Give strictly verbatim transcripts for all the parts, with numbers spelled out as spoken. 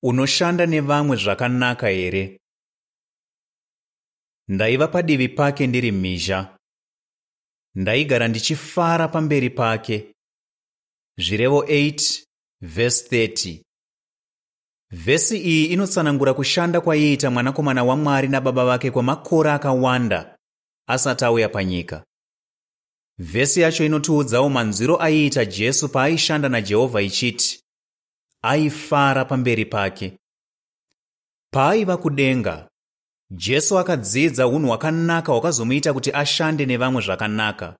Unoshanda nevamwe zvakanaka here? Ndaiva padivi pake ndiri mhizha. Ndaigara ndichifara pamberi pake. Zvirevo eight vhesi thirty. Vhesi iyi inotsanangura kushanda kwaiita Mwanakomana waMwari nababa vake kwemakore akawanda asati auya panyika. Vhesi yacho inotiudzawo manzwiro aiita Jesu paaishanda naJehovha ichiti aifara pamberi pake. Paaiva kudenga, Jesu akadzidza unhu hwakanaka hwakazomuita kuti ashande nevamwe zvakanaka.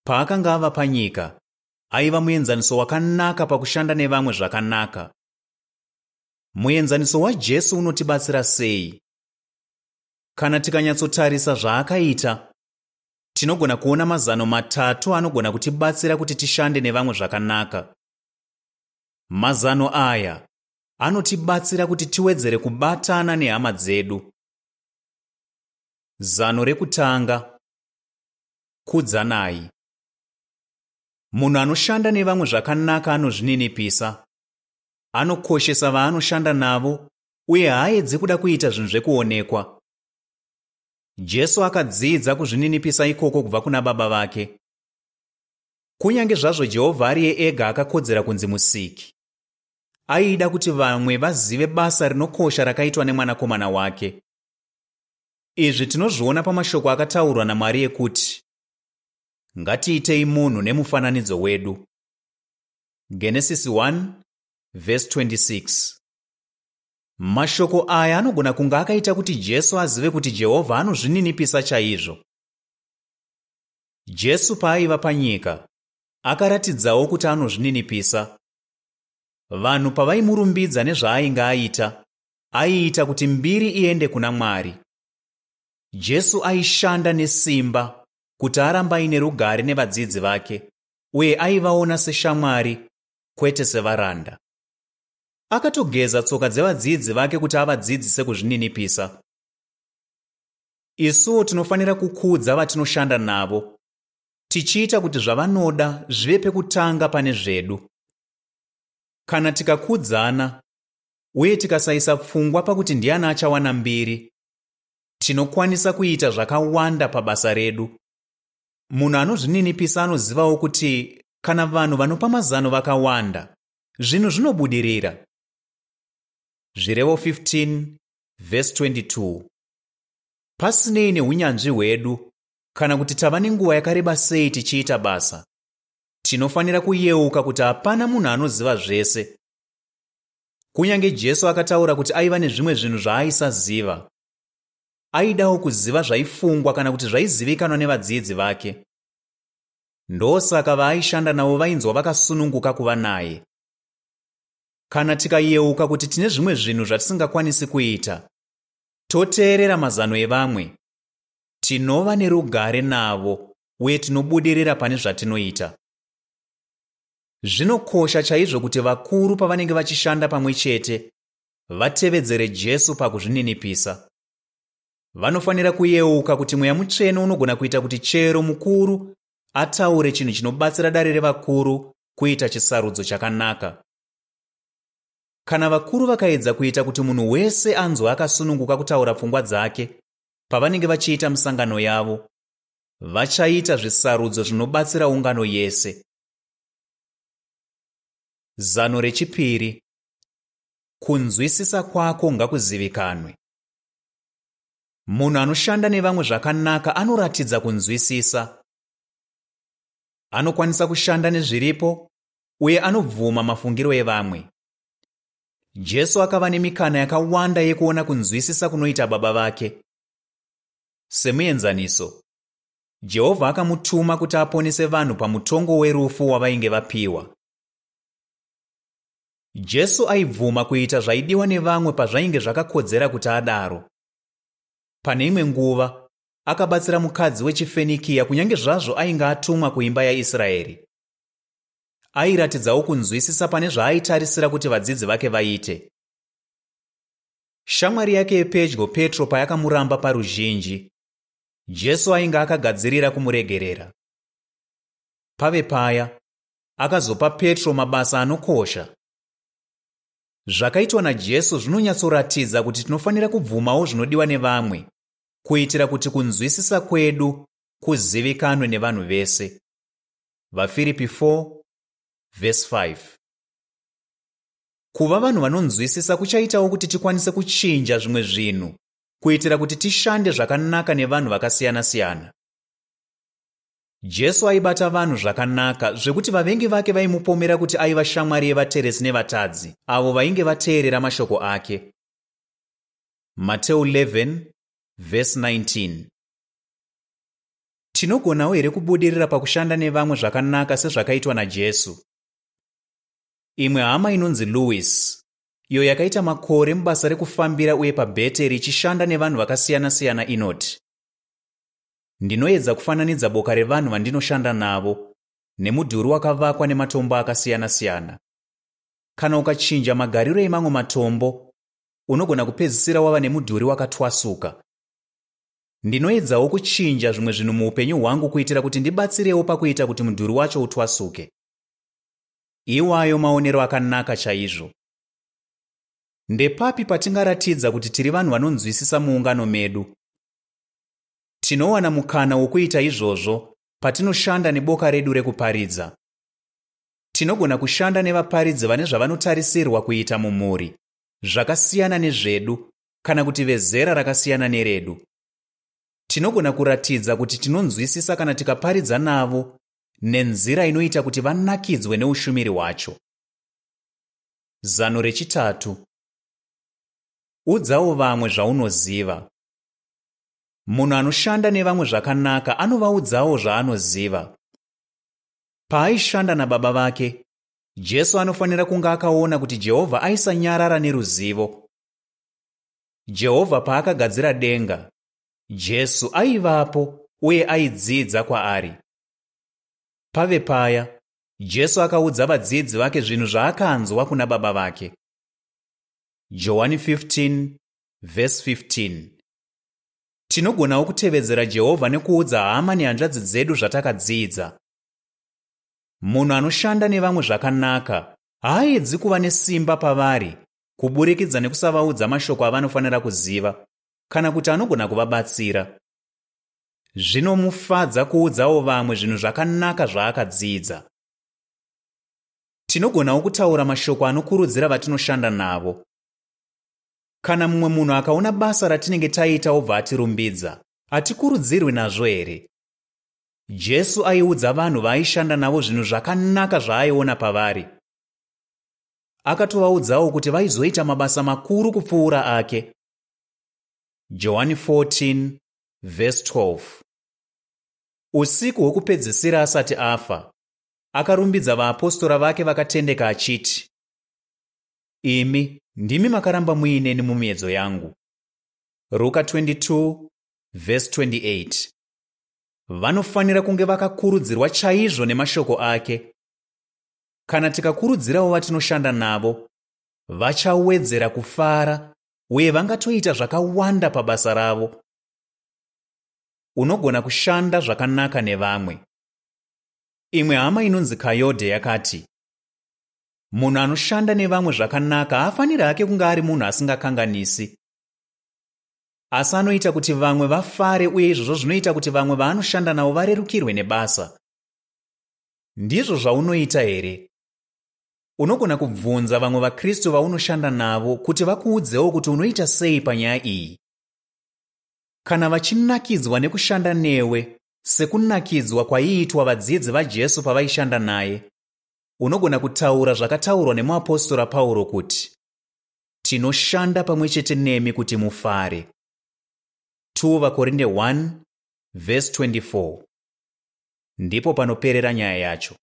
Paakanga ava panyika, aiva muenzaniso wakanaka pakushanda nevamwe zvakanaka. Muenzaniso waJesu unotibatsira sei? Kana tikanyatsotarisa zvaakaita, tinogona kuona mazano matatu anogona kutibatsira kuti tishande nevamwe zvakanaka. Mazano aya anotibatsira kuti tiwedzere kubatana nehama dzedu. Zano rekutanga: kudzanai. Munhu anoshanda nevamwe zvakanaka anozvininipisa, anokoshesa vaanoshanda navo uye haaedzi kuda kuita zvinhu zvekuonekwa. Jesu akadzidza kuzvininipisa ikoko kubva kuna baba vake. Kunyange zvazvo Jehovha ariye ega akakodzera kunzi Musiki, aida kuti vamwe vazive basa rinokosha rakaitwa nemwanakomana wake. Izvi tinozviona pamashoko akataurwa naMwari ekuti, "Ngatiitei munhu nemufananidzo wedu." Genesisi one vhesi twenty-six. Mashoko aya anogona kunge akaita kuti Jesu azive kuti Jehovha anozvininipisa chaizvo. Jesu paaiva panyika, akaratidzawo kuti anozvininipisa. Vanhu pavaimurumbidza nezvaainge aita, aiita kuti mbiri iende kuna Mwari. Jesu aishanda nesimba kuti arambe aine rugare nevadzidzi vake uye aivaona seshamwari kwete sevaranda. Akatogeza tsoka dzevadzidzi vake kuti avadzidzise kuzvininipisa. Isuwo tinofanira kukudza vatinoshanda navo, tichiita kuti zvavanoda zvive pekutanga pane zvedu. Kana tikakudzana uye tikasaisa pfungwa pakuti ndiani achawana mbiri, tinokwanisa kuita zvakawanda pabasa redu. Munhu anozvininipisa anozivawo kuti kana vanhu vanopa mazano vakawanda, zvinhu zvinobudirira. Zvirevo fifteen vhesi twenty-two. Pasinei neunyanzvi hwedu kana kuti tava nenguva yakareba sei tichiita basa, tinofanira kuyeuka kuti hapana munhu anoziva zvese. Kunyange Jesu akataura kuti aiva nezvimwe zvinhu zvaaisaziva. Aidawo kuziva zvaifungwa kana kuti zvaizivikanwa nevadzidzi vake. Ndosaka vaaishanda navo vainzwa vakasununguka kuva naye. Kana tikayeuka kuti tine zvimwe zvinhu zvatisingakwanisi kuita, toteerera mazano evamwe, tinova nerugare navo uye tinobudirira pane zvatinoita. Zvinokosha chaizvo kuti vakuru pavanenge vachishanda pamwe chete vatevedzere Jesu pakuzvininipisa. Vanofanira kuyeuka kuti Mweya Mutsvene unogona kuita kuti chero mukuru ataure chinhu chinobatsira dare revakuru kuita chisarudzo chakanaka. Kana vakuru vakaedza kuita kuti munhu wese anzwe akasununguka kutaura pfungwa dzake pavanenge vachiita misangano yavo, vachaita zvisarudzo zvinobatsira ungano yese. Zano rechipiri: kunzwisisa kwako ngakuzivikanwe. Munhu anoshanda nevamwe zvakanaka anoratidza kunzwisisa. Anokwanisa kushanda nezviripo uye anobvuma mafungiro evamwe. Jesu akava nemikana yakawanda yekuona kunzwisisa kunoita baba vake. Semuenzaniso, Jehovha akamutuma kuti aponese vanhu pamutongo werufu wavainge vapiwa. Jesu aibvuma kuita zvaidiwa nevamwe pazvainge zvakakodzera kuti adaro. Pane imwe nguva, akabatsira mukadzi wechiFenikiya kunyange zvazvo ainge atumwa kuimba yaIsraeri. Airatidzawo kunzwisisa pane zvaaitarisira kuti vadzidzi vake vaite. Shamwari yake yepedyo Petro payakamuramba paruzhinji, Jesu ainge akagadzirira kumuregerera. Pave paya, akazopa Petro mabasa anokosha. Zvakaitwa naJesu zvinonyatsoratidza kuti tinofanira kubvumawo zvinodiwa nevamwe kuitira kuti kunzwisisa kwedu kuzivikanwe nevanhu vese. VaFiripi four vhesi five. Kuva vanhu vanonzwisisa kuchaitawo kuti tikwanise kuchinja zvimwe zvinhu kuitira kuti tishande zvakanaka nevanhu vakasiyana-siyana. Jesu aibata vanhu zvakanaka zvekuti vavengi vake vaimupomera kuti aiva shamwari yevateresi nevatadzi avo vainge vateerera mashoko ake. Mateo eleven vhesi nineteen. Tinogonawo here kubudirira pakushanda nevamwe zvakanaka sezvakaitwa naJesu? Imwe hama inonzi Louis, iyo yakaita makore mubasa rekufambira uye paBheteri ichishanda nevanhu vakasiyana-siyana inoti, ndinoedza kufananidza boka revanhu vandinoshanda navo nemudhuri wakavakwa nematombo akasiyana-siyana. Kana ukachinja magariro emamwe matombo, unogona kupedzisira wava nemudhuri wakatwasuka. Ndinoedzawo kuchinja zvimwe zvinhu muupenyu hwangu kuitira kuti ndibatsirewo pakuita kuti mudhuri wacho utwasuke. Iwayo maonero akanaka chaizvo. Ndepapi patingaratidza kuti tiri vanhu vanonzwisisa muungano medu? Tinowana mukana wokuita izvozvo patinoshanda neboka redu rekuparidza. Tinogona kushanda nevaparidzi vane zvavanotarisirwa kuita mumhuri, zvakasiyana nezvedu kana kuti vezera rakasiyana neredu. Tinogona kuratidza kuti tinonzwisisa kana tikaparidza navo nenzira inoita kuti vanakidzwe neushumiri hwacho. Zano rechitatu. Udzawo vamwe zvaunoziva. Munhu anoshanda nevamwe zvakanaka anovaudzawo zvaanoziva. Paaishanda nababa vake, Jesu anofanira kunge akaona kuti Jehovha aisanyarara neruzivo. Jehovha paakagadzira denga, Jesu aivapo uye aidzidza kwaari. Pave paya, Jesu akaudza vadzidzi vake zvinhu zvaakanzwa kuna baba vake. Johani fifteen vhesi fifteen. Tinogonawo kutevedzera Jehovha nekuudza hama nehanzvadzi dzedu zvatakadzidza. Munhu anoshanda nevamwe zvakanaka haaedzi kuva nesimba pavari kuburikidza nekusavaudza mashoko avanofanira kuziva kana kuti anogona kuvabatsira. Zvinomufadza kuudzawo vamwe zvinhu zvakanaka zvaakadzidza. Tinogonawo kutaura mashoko anokurudzira vatinoshanda navo. Kana mumwe munhu akaona basa ratinenge taita obva atirumbidza, hatikurudzirwi nazvo here? Jesu aiudza vanhu vaaishanda navo zvinhu zvakanaka zvaaiona pavari. Akatovaudzawo kuti vaizoita mabasa makuru kupfuura ake. Johani fourteen vhesi twelve. Usiku hwekupedzisira asati afa, akarumbidza vaapostora vake vakatendeka achiti, imi ndimi makaramba muineni mumiedzo yangu. Ruka twenty-two vhesi twenty-eight. Vanofanira kunge vakakurudzirwa chaizvo nemashoko ake. Kana tikakurudzirawo vatinoshanda navo, vachawedzera kufara uye vangatoita zvakawanda pabasa ravo. Unogona kushanda zvakanaka nevamwe. Imwe hama inonzi Kayode yakati, munhu anoshanda nevamwe zvakanaka haafaniri hake kunge ari munhu asingakanganisi. Asi anoita kuti vamwe vafare uye izvozvo zvinoita kuti vamwe vaanoshanda navo varerukirwe nebasa. Ndizvo zvaunoita here? Unogona kubvunza vamwe vaKristu vaunoshanda navo kuti vakuudzewo kuti unoita sei panyaya iyi. Kana vachinakidzwa nekushanda newe sekunakidzwa kwaiitwa vadzidzi vaJesu pavaishanda naye, unogona kutaura zvakataurwa nemuapostora Pauro kuti, tinoshanda pamwe chete nemi kuti mufare. two Vakorinde one vhesi twenty-four. Ndipo panoperera nyaya yacho.